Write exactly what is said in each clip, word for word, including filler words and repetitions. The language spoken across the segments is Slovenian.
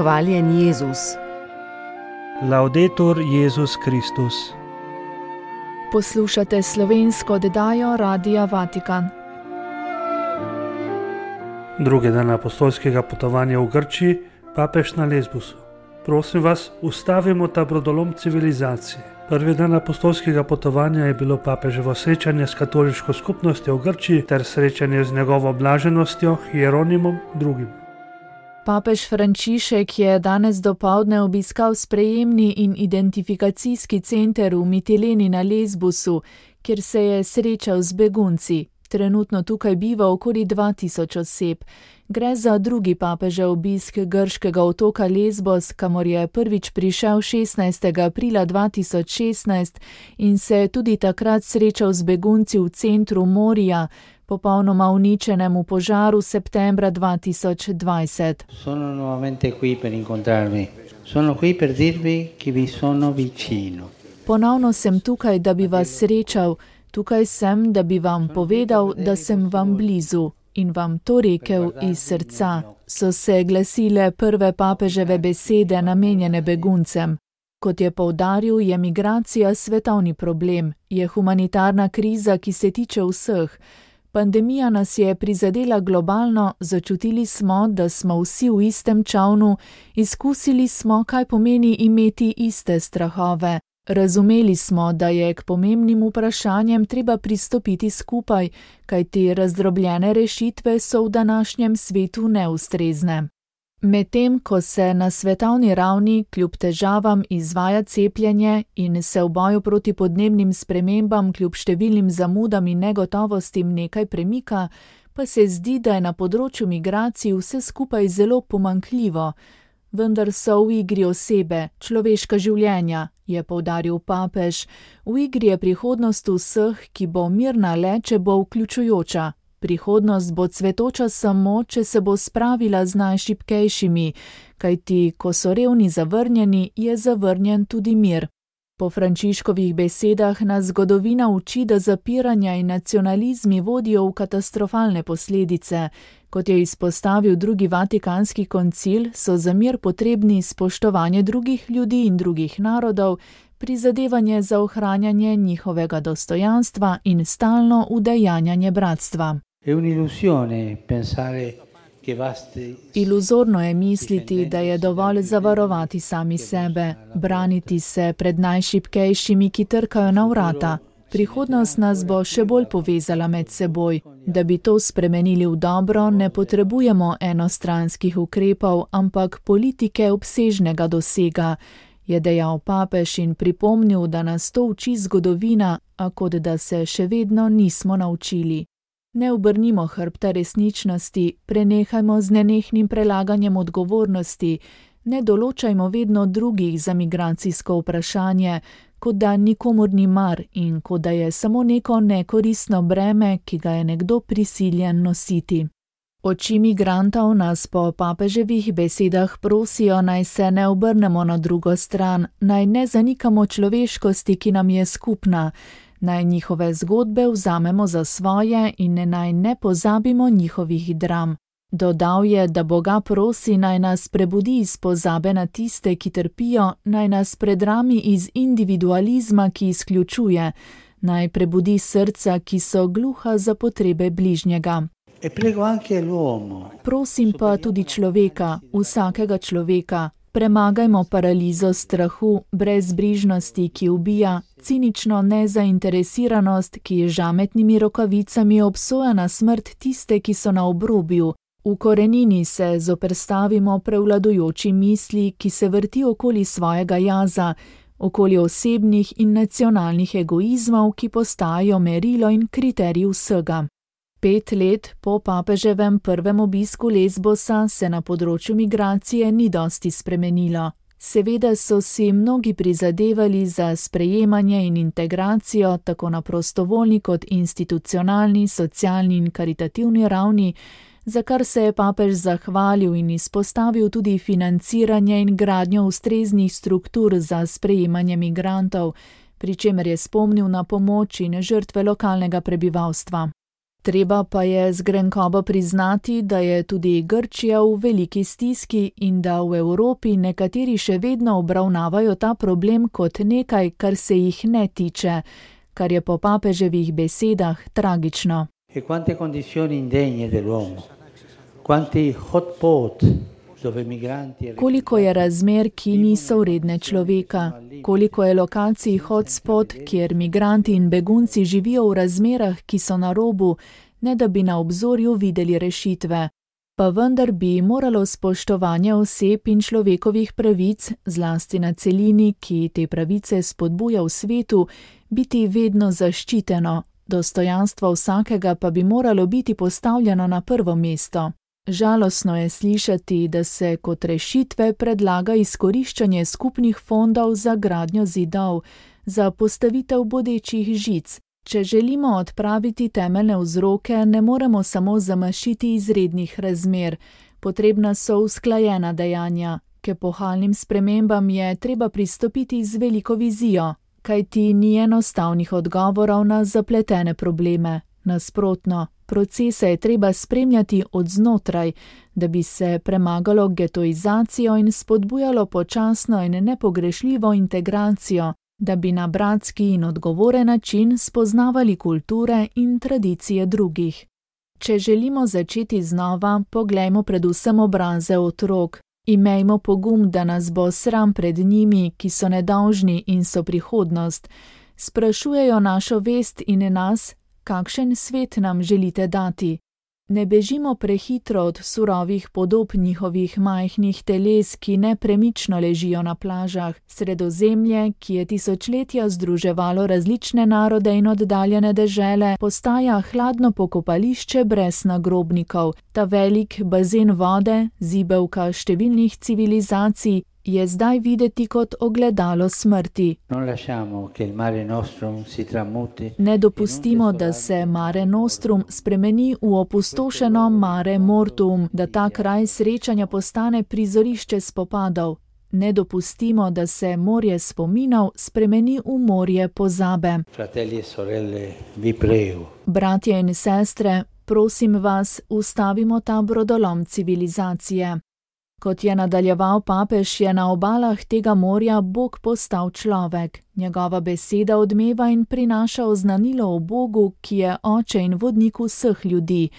Hvaljen Jezus. Laudetur Jezus Kristus. Poslušate slovensko oddajo Radia Vatikan. Drugi dan apostolskega potovanja v Grčiji, papež na Lesbosu. Prosim vas, ustavimo ta brodolom civilizacije. Prvi dan apostolskega potovanja je bilo papeževo srečanje s katoliško skupnostjo v Grčiji ter srečanje z njegovo blaženostjo Hieronimom drugim. Papež Frančišek je danes dopoldne obiskal sprejemni in identifikacijski center v Mitileni na Lesbosu, kjer se je srečal z begunci. Trenutno tukaj biva okoli dva tisoč oseb. Gre za drugi papežev obisk grškega otoka Lesbos, kamor je prvič prišel šestnajstega aprila dva tisoč šestnajst in se je tudi takrat srečal z begunci v centru Morija, popolnoma uničenem v požaru septembra dva tisoč dvajset. Sono nuovamente qui per incontrarvi. Sono qui per dirvi che vi sono vicino. Ponovno sem tukaj, da bi vas srečal. Tukaj sem, da bi vam povedal, da sem vam blizu in vam to rekel iz srca, so se glasile prve papeževe besede namenjene beguncem. Kot je poudaril, je migracija svetovni problem, je humanitarna kriza, ki se tiče vseh. Pandemija nas je prizadela globalno, začutili smo, da smo vsi v istem čavnu, izkusili smo, kaj pomeni imeti iste strahove. Razumeli smo, da je k pomembnim vprašanjem treba pristopiti skupaj, kajti razdrobljene rešitve so v današnjem svetu neustrezne. Medtem, ko se na svetovni ravni kljub težavam izvaja cepljenje in se v boju proti podnebnim spremembam kljub številnim zamudam in negotovostim nekaj premika, pa se zdi, da je na področju migracij vse skupaj zelo pomanjkljivo. Vendar so v igri osebe, človeška življenja, je poudaril papež. V igri je prihodnost vseh, ki bo mirna le, če bo vključujoča. Prihodnost bo cvetoča samo, če se bo spravila z najšibkejšimi, kajti, ko so revni zavrnjeni, je zavrnjen tudi mir. Po Frančiškovih besedah nas zgodovina uči, da zapiranja in nacionalizmi vodijo v katastrofalne posledice. Kot je izpostavil drugi vatikanski koncil, so za mir potrebni spoštovanje drugih ljudi in drugih narodov, prizadevanje za ohranjanje njihovega dostojanstva in stalno udejanjanje bratstva. Iluzorno je misliti, da je dovolj zavarovati sami sebe, braniti se pred najšibkejšimi, ki trkajo na vrata. Prihodnost nas bo še bolj povezala med seboj. Da bi to spremenili v dobro, ne potrebujemo enostranskih ukrepov, ampak politike obsežnega dosega, je dejal papež in pripomnil, da nas to uči zgodovina, a kot da se še vedno nismo naučili. Ne obrnimo hrbta resničnosti, prenehajmo z nenehnim prelaganjem odgovornosti, ne določajmo vedno drugih za migracijsko vprašanje, kot da nikomur ni mar in kot da je samo neko nekoristno breme, ki ga je nekdo prisiljen nositi. Oči migrantov nas po papeževih besedah prosijo, naj se ne obrnemo na drugo stran, naj ne zanikamo človeškosti, ki nam je skupna, naj njihove zgodbe vzamemo za svoje in naj ne pozabimo njihovih dram. Dodal je, da Boga prosi, naj nas prebudi iz pozabe na tiste, ki trpijo, naj nas predrami iz individualizma, ki izključuje, naj prebudi srca, ki so gluha za potrebe bližnjega. Prosim pa tudi človeka, vsakega človeka, premagajmo paralizo strahu, brezbrižnosti, ki ubija, cinično nezainteresiranost, ki je žametnimi rokavicami obsoja na smrt tiste, ki so na obrobju. V korenini se zoperstavimo prevladujoči misli, ki se vrti okoli svojega jaza, okoli osebnih in nacionalnih egoizmov, ki postajajo merilo in kriterij vsega. Pet let po papeževem prvem obisku Lesbosa se na področju migracije ni dosti spremenilo. Seveda so si mnogi prizadevali za sprejemanje in integracijo tako na prostovoljni kot institucionalni, socialni in karitativni ravni, za kar se je papež zahvalil in izpostavil tudi financiranje in gradnjo ustreznih struktur za sprejemanje migrantov, pri čemer je spomnil na pomoč in žrtve lokalnega prebivalstva. Treba pa je z grenkobo priznati, da je tudi Grčija v veliki stiski in da v Evropi nekateri še vedno obravnavajo ta problem kot nekaj, kar se jih ne tiče, kar je po papeževih besedah tragično. E quante condizioni indegne dell'uomo, quanti hotspot dove migranti... Koliko je razmer, ki niso vredne človeka, koliko je lokacij hotspot, kjer migranti in begunci živijo v razmerah, ki so na robu, ne da bi na obzorju videli rešitve. Pa vendar bi moralo spoštovanje oseb in človekovih pravic, zlasti na celini, ki te pravice spodbuja v svetu, biti vedno zaščiteno, dostojanstvo vsakega pa bi moralo biti postavljeno na prvo mesto. Žalostno je slišati, da se kot rešitve predlaga izkoriščanje skupnih fondov za gradnjo zidov, za postavitev bodečih žic. Če želimo odpraviti temeljne vzroke, ne moremo samo zamašiti izrednih razmer. Potrebna so usklajena dejanja. K epohalnim spremembam je treba pristopiti z veliko vizijo, kajti ni enostavnih odgovorov na zapletene probleme. Nasprotno, procese je treba spremljati od znotraj, da bi se premagalo getoizacijo in spodbujalo počasno in nepogrešljivo integracijo, da bi na bratski in odgovoren način spoznavali kulture in tradicije drugih. Če želimo začeti znova, poglejmo predvsem obraze otrok. Imejmo pogum, da nas bo sram pred njimi, ki so nedolžni in so prihodnost. Sprašujejo našo vest in nas, kakšen svet nam želite dati. Ne bežimo prehitro od surovih podob njihovih majhnih teles, ki nepremično ležijo na plažah. Sredozemlje, ki je tisočletja združevalo različne narode in oddaljene dežele, postaja hladno pokopališče brez nagrobnikov. Ta velik bazen vode, zibelka številnih civilizacij, je zdaj videti kot ogledalo smrti. Ne dopustimo, da se Mare Nostrum spremeni v opustošeno Mare Mortuum, da ta kraj srečanja postane prizorišče spopadov. Ne dopustimo, da se morje spominov spremeni v morje pozabe. Bratje in sestre, prosim vas, ustavimo ta brodolom civilizacije. Kot je nadaljeval papež, je na obalah tega morja Bog postal človek. Njegova beseda odmeva in prinaša oznanilo o Bogu, ki je oče in vodnik vseh ljudi.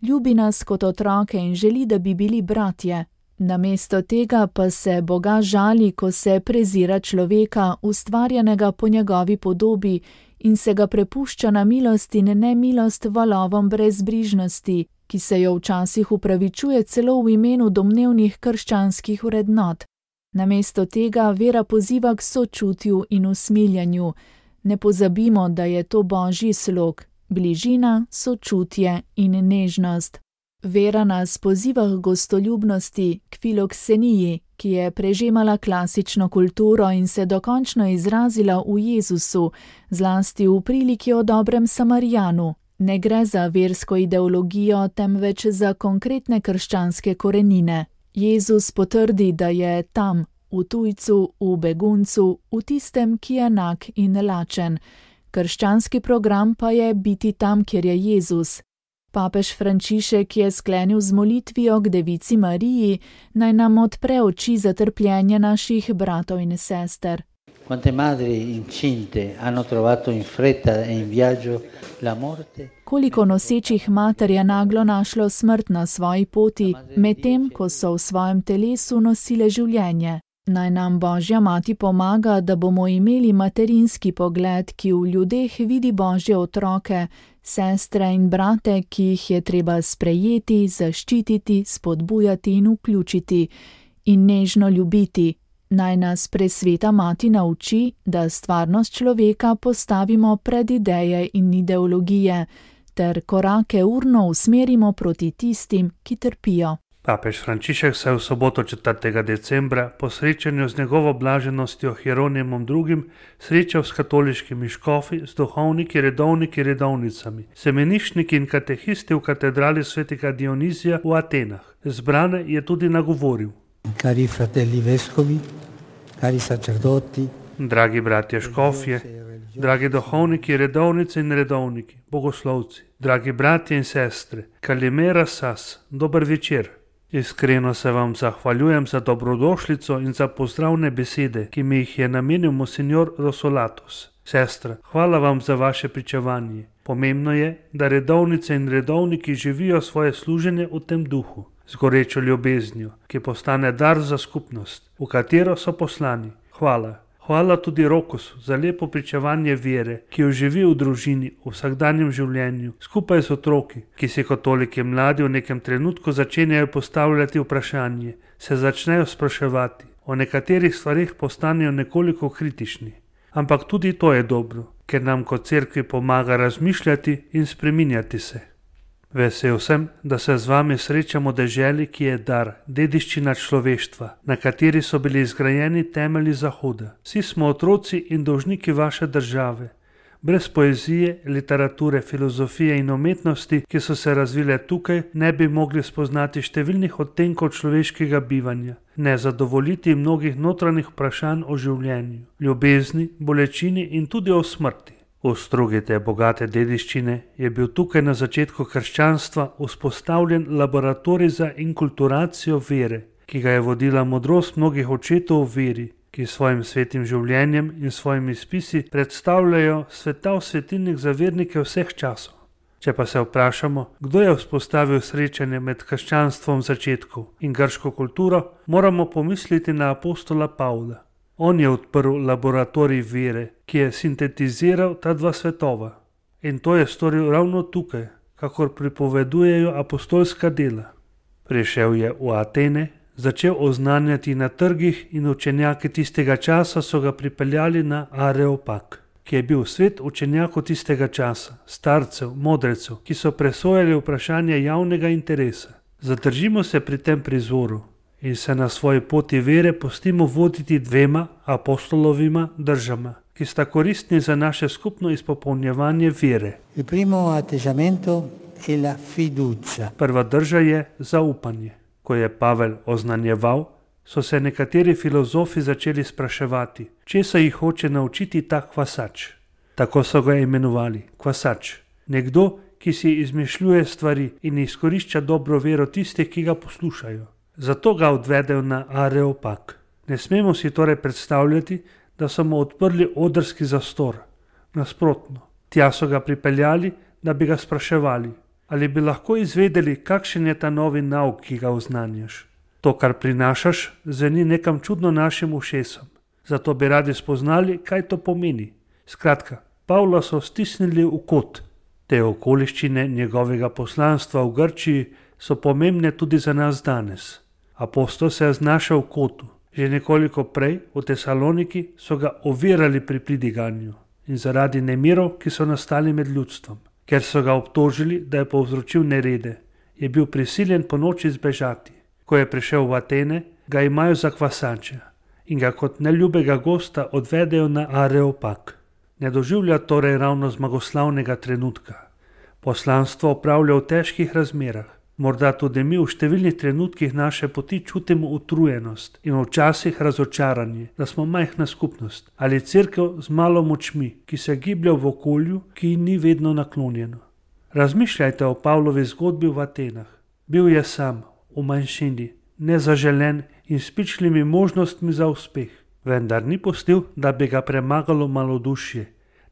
Ljubi nas kot otroke in želi, da bi bili bratje. Namesto tega pa se Boga žali, ko se prezira človeka, ustvarjenega po njegovi podobi, in se ga prepušča na milost in nemilost valovom brezbrižnosti, ki se jo včasih upravičuje celo v imenu domnevnih krščanskih vrednot. Namesto tega vera poziva k sočutju in usmiljanju. Ne pozabimo, da je to Božji slog, bližina, sočutje in nežnost. Vera nas poziva k gostoljubnosti, k filokseniji, ki je prežemala klasično kulturo in se dokončno izrazila v Jezusu, zlasti v priliki o dobrem Samarijanu. Ne gre za versko ideologijo, temveč za konkretne krščanske korenine. Jezus potrdi, da je tam, v tujcu, v beguncu, v tistem, ki je nag in lačen. Krščanski program pa je biti tam, kjer je Jezus. Papež Frančišek je sklenil z molitvijo k Devici Mariji, naj nam odpre oči za trpljenje naših bratov in sester. Quante madri incinte hanno trovato in fretta e in viaggio la morte? Koliko nosečih mater je naglo našlo smrt na svoji poti, medtem ko so v svojem telesu nosile življenje. Naj nam Božja mati pomaga, da bomo imeli materinski pogled, ki v ljudeh vidi Božje otroke, sestre in brate, ki jih je treba sprejeti, zaščititi, spodbujati in vključiti in nežno ljubiti. Naj nas presveta mati nauči, da stvarnost človeka postavimo pred ideje in ideologije, ter korake urno usmerimo proti tistim, ki trpijo. Papež Frančišek se je v soboto četrtega decembra po srečanju z njegovo blaženostjo Hieronimom drugim srečal s katoliškimi škofi, s duhovniki, redovniki, redovnicami, semenišniki in katehisti v katedrali svetega Dionizija v Atenah. Zbrane je tudi nagovoril. Cari fratelli vescovi, cari sacerdoti, dragi bratje škofje, dragi duhovniki, redovnice in redovniki, bogoslovci, dragi bratje in sestre, kalimera sas, dober večer. Iskreno se vam zahvaljujem za dobrodošlico in za pozdravne besede, ki mi jih je namenil monsignor Rosolatos. Sestra, hvala vam za vaše pričevanje. Pomembno je, da redovnice in redovniki živijo svoje služenje v tem duhu, z gorečo ljubeznijo, ki postane dar za skupnost, v katero so poslani. Hvala. Hvala tudi Rokusu za lepo pričevanje vere, ki jo živi v družini, v vsakdanjem življenju, skupaj z otroki, ki si kot toliki mladi v nekem trenutku začenjajo postavljati vprašanje, se začnejo spraševati, o nekaterih stvarih postanejo nekoliko kritični. Ampak tudi to je dobro, ker nam kot cerkvi pomaga razmišljati in spreminjati se. Vesel sem, da se z vami srečamo v deželi, ki je dar, dediščina človeštva, na kateri so bili izgrajeni temelji Zahoda. Vsi smo otroci in dolžniki vaše države. Brez poezije, literature, filozofije in umetnosti, ki so se razvile tukaj, ne bi mogli spoznati številnih odtenkov človeškega bivanja, ne zadovoljiti mnogih notranjih vprašanj o življenju, ljubezni, bolečini in tudi o smrti. V strugi te bogate dediščine je bil tukaj na začetku krščanstva vzpostavljen laboratorij za inkulturacijo vere, ki ga je vodila modrost mnogih očetov v veri, ki svojim svetim življenjem in svojimi spisi predstavljajo svetav svetilnik za vernike vseh časov. Če pa se vprašamo, kdo je vzpostavil srečanje med krščanstvom začetkov in grško kulturo, moramo pomisliti na apostola Pavla. On je odprl laboratorij vere, ki je sintetiziral ta dva svetova. In to je storil ravno tukaj, kakor pripovedujejo apostolska dela. Prišel je v Atene, začel oznanjati na trgih in učenjaki tistega časa so ga pripeljali na Areopag, ki je bil svet učenjakov tistega časa, starcev, modrecev, ki so presojali vprašanje javnega interesa. Zadržimo se pri tem prizoru in se na svoji poti vere pustimo voditi dvema apostolovima držama, ki sta koristni za naše skupno izpopolnjevanje vere. Il primo atteggiamento è la fiducia. Prva drža je zaupanje. Ko je Pavel oznanjeval, so se nekateri filozofi začeli spraševati, česa jih hoče naučiti ta kvasač. Tako so ga imenovali, kvasač. Nekdo, ki si izmišljuje stvari in izkorišča dobro vero tistih, ki ga poslušajo. Zato ga odvedejo na Areopag. Ne smemo si torej predstavljati, da so mu odprli odrski zastor. Nasprotno, tja so ga pripeljali, da bi ga spraševali, ali bi lahko izvedeli, kakšen je ta novi nauk, ki ga oznanjaš. To, kar prinašaš, zveni nekam čudno našim ušesom. Zato bi radi spoznali, kaj to pomeni. Skratka, Pavla so stisnili v kot. Te okoliščine njegovega poslanstva v Grčiji so pomembne tudi za nas danes. Apostol se je znašel v kotu. Že nekoliko prej, v Tesaloniki, so ga ovirali pri pridiganju in zaradi nemirov, ki so nastali med ljudstvom. Ker so ga obtožili, da je povzročil nerede, je bil prisiljen po noči zbežati. Ko je prišel v Atene, ga imajo za kvasača in ga kot neljubega gosta odvedejo na Areopag. Ne doživlja torej ravno zmagoslavnega trenutka. Poslanstvo opravlja v težkih razmerah. Morda tudi mi v številnih trenutkih naše poti čutimo utrujenost in včasih razočaranje, da smo majhna skupnost ali cerkev z malo močmi, ki se giblje v okolju, ki ni vedno naklonjeno. Razmišljajte o Pavlovi zgodbi v Atenah. Bil je sam, v manjšini, nezaželen in s pičlimi možnostmi za uspeh. Vendar ni pustil, da bi ga premagalo malodušje.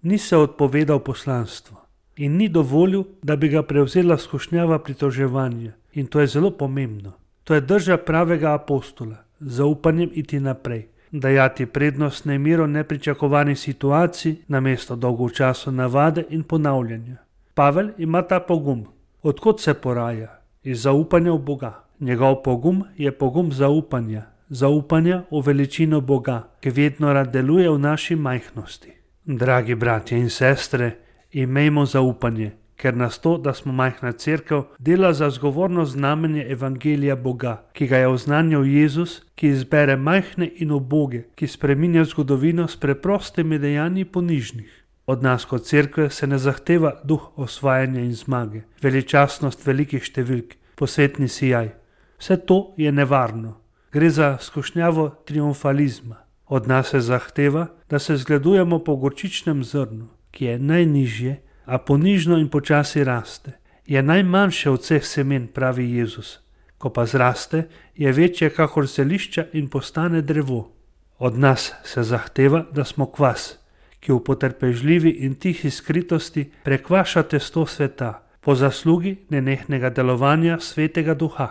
Ni se odpovedal poslanstvu. In ni dovolil, da bi ga prevzela skušnjava pritoževanja. In to je zelo pomembno. To je drža pravega apostola, zaupanjem iti naprej, dajati prednost nemiru nepričakovanih situacij namesto dolgočasov navade in ponavljanja. Pavel ima ta pogum. Odkot se poraja? Iz zaupanja v Boga. Njegov pogum je pogum zaupanja, zaupanja v veličino Boga, ki vedno rad deluje v naši majhnosti. Dragi bratje in sestre, imejmo zaupanje, ker nas to, da smo majhna cerkev, dela za zgovorno znamenje evangelija Boga, ki ga je oznanjal Jezus, ki izbere majhne in uboge, ki spreminja zgodovino s preprostimi dejanji ponižnih. Od nas kot cerkve se ne zahteva duh osvajanja in zmage, veličastnost velikih številk, posvetni sijaj. Vse to je nevarno. Gre za skušnjavo triumfalizma. Od nas se zahteva, da se zgledujemo po gorčičnem zrnu, ki je najnižje, a ponižno in počasi raste. Je najmanjše od vseh semen, pravi Jezus. Ko pa zraste, je večje kakor zelišča in postane drevo. Od nas se zahteva, da smo kvas, ki v potrpežljivi in tihi skritosti prekvaša testo sveta, po zaslugi nenehnega delovanja svetega duha.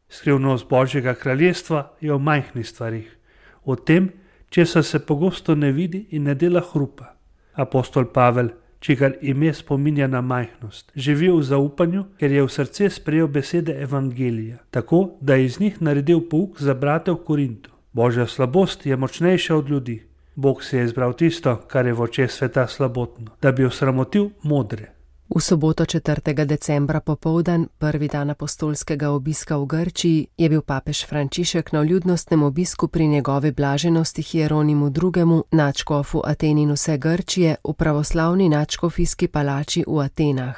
Skrivnost Božjega kraljestva je v majhnih stvarih, v tem, česar se pogosto ne vidi in ne dela hrupa. Apostol Pavel, čigar ime spominja na majhnost, živi v zaupanju, ker je v srce sprejel besede evangelija, tako da je iz njih naredil pouk za brate v Korintu. Božja slabost je močnejša od ljudi. Bog si je izbral tisto, kar je v očeh sveta slabotno, da bi osramotil modre. V soboto četrtega decembra popoldan, prvi dan apostolskega obiska v Grčiji, je bil papež Frančišek na vljudnostnem obisku pri njegovi blaženosti Hieronimu drugemu, nadškofu Aten in vse Grčije, v pravoslavni nadškofijski palači v Atenah.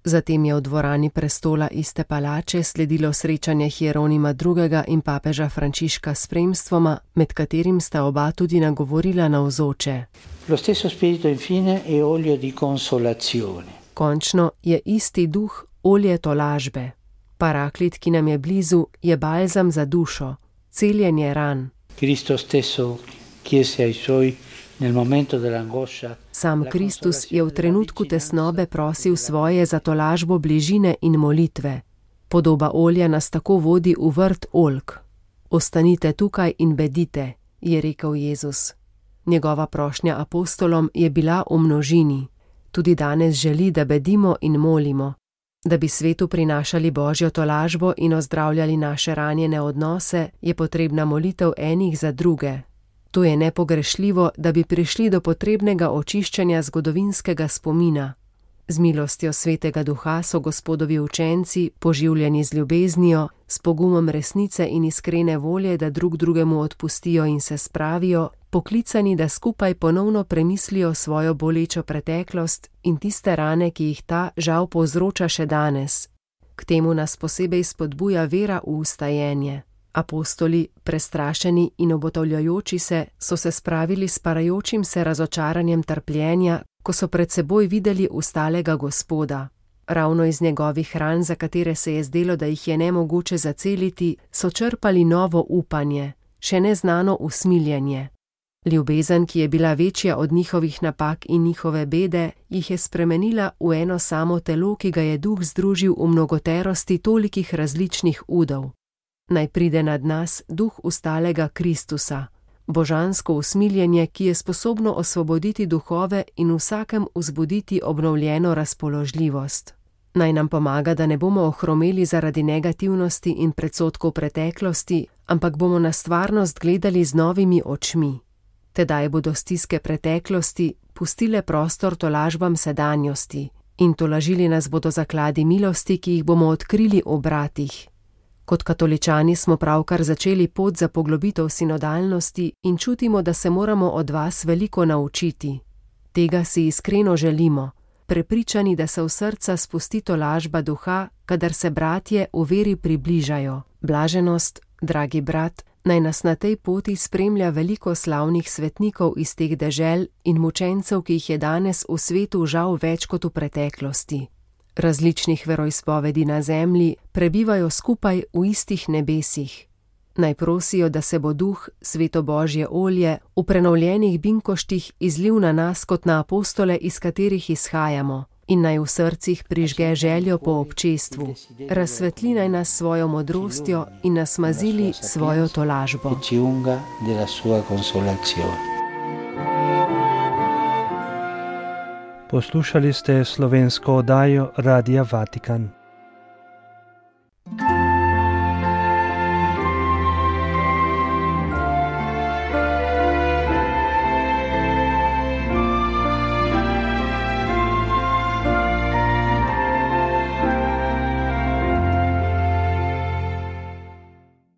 Zatem je v dvorani prestola iste palače sledilo srečanje Hieronima drugega in papeža Frančiška s spremstvoma, med katerim sta oba tudi nagovorila navzoče. Lo stesso spirito infine e olio di consolazione. Končno je isti duh olje tolažbe. Paraklit, ki nam je blizu, je balzam za dušo, celjenje ran. Cristo stesso chiese ai suoi nel momento dell'angoscia. Sam Kristus je v trenutku tesnobe prosil svoje za tolažbo bližine in molitve. Podoba olja nas tako vodi v vrt oljk. Ostanite tukaj in bedite, je rekel Jezus. Njegova prošnja apostolom je bila v množini. Tudi danes želi, da bedimo in molimo, da bi svetu prinašali Božjo tolažbo in ozdravljali naše ranjene odnose, je potrebna molitev enih za druge. To je nepogrešljivo, da bi prišli do potrebnega očiščanja zgodovinskega spomina. Z milostjo svetega duha so Gospodovi učenci, poživljeni z ljubeznijo, s pogumom resnice in iskrene volje, da drug drugemu odpustijo in se spravijo, poklicani, da skupaj ponovno premislijo svojo bolečo preteklost in tiste rane, ki jih ta žal povzroča še danes. K temu nas posebej spodbuja vera v ustajenje. Apostoli, prestrašeni in obotavljajoči se, so se spravili s parajočim se razočaranjem trpljenja, ko so pred seboj videli ustalega Gospoda. Ravno iz njegovih ran, za katere se je zdelo, da jih je nemogoče zaceliti, so črpali novo upanje, še neznano usmiljenje. Ljubezen, ki je bila večja od njihovih napak in njihove bede, jih je spremenila v eno samo telo, ki ga je duh združil v mnogoterosti tolikih različnih udov. Naj pride nad nas duh ustalega Kristusa, božansko usmiljenje, ki je sposobno osvoboditi duhove in vsakem vzbuditi obnovljeno razpoložljivost. Naj nam pomaga, da ne bomo ohromeli zaradi negativnosti in predsodkov preteklosti, ampak bomo na stvarnost gledali z novimi očmi. Tedaj bodo stiske preteklosti pustile prostor tolažbam sedanjosti in tolažili nas bodo zakladi milosti, ki jih bomo odkrili v bratih. Kot katoličani smo pravkar začeli pot za poglobitev sinodalnosti in čutimo, da se moramo od vas veliko naučiti. Tega si iskreno želimo, prepričani, da se v srca spusti tolažba duha, kadar se bratje v veri približajo. Blaženost, dragi brat, naj nas na tej poti spremlja veliko slavnih svetnikov iz teh dežel in mučencev, ki jih je danes v svetu žal več kot v preteklosti. Različnih veroizpovedi na zemlji prebivajo skupaj v istih nebesih. Naj prosijo, da se bo duh, sveto Božje olje, v prenovljenih binkoštih izlil na nas kot na apostole, iz katerih izhajamo, in naj v srcih prižge željo po občestvu. Razsvetli naj nas svojo modrostjo in nas mazili svojo tolažbo. Poslušali ste slovensko oddajo Radia Vatikan.